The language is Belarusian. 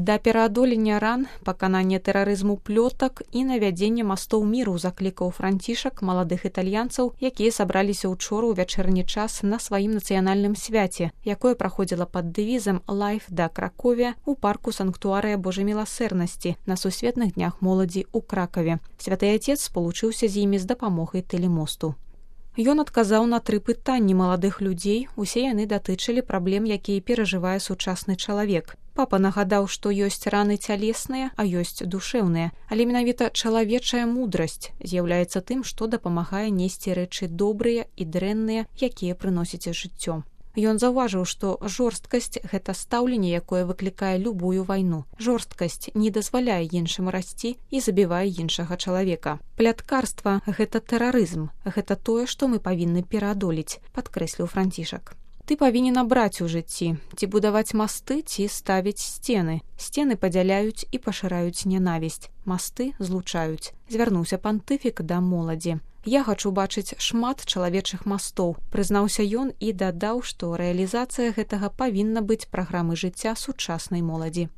Да пераадолення ран, паканання тэрарызму плётак і навядзення мастоў міру заклікаў Францішак маладых італьянцаў, якія сабраліся учора ў вячэрні час на сваім нацыянальным свяце, якое праходзіла пад дэвізам «Life да Кракове» у парку Санктуарыя Божай міласэрнасці на сусветных днях моладзі ў Кракаве. Святы Отец спалучыўся з імі з дапамогай тэлемосту. Ён адказаў на 3 пытанні маладых людзей, усе яны датычылі праблем, якія перажывае сучасны чалавек. Папа нагадаў, што ёсць раны цялесныя, а ёсць душэўныя, але менавіта чалавечая мудрасць з'яўляецца тым, што дапамагае несці рэчы добрыя і дрэнныя, якія прыносяць жыццё. Ён заўважыў, што жорсткасць – гэта стаўленне, якое выклікае любую вайну. Жорсткасць не дазваляе іншым расці і забівае іншага чалавека. Пляткарства – гэта тэрарызм, гэта тое, што мы павінны пераадолець, падкрэсліў Францішак. Ты павінен абраць у жыцці, ці будаваць масты, ці ставіць сцены. Сцены падзяляюць і пашыраюць нянавісць. Масты злучаюць. Звярнуўся пантыфік да моладзі. Я хачу бачыць шмат чалавечых мастоў, прызнаўся ён і дадаў, што рэалізацыя гэтага павінна быць праграмай жыцця сучаснай моладзі.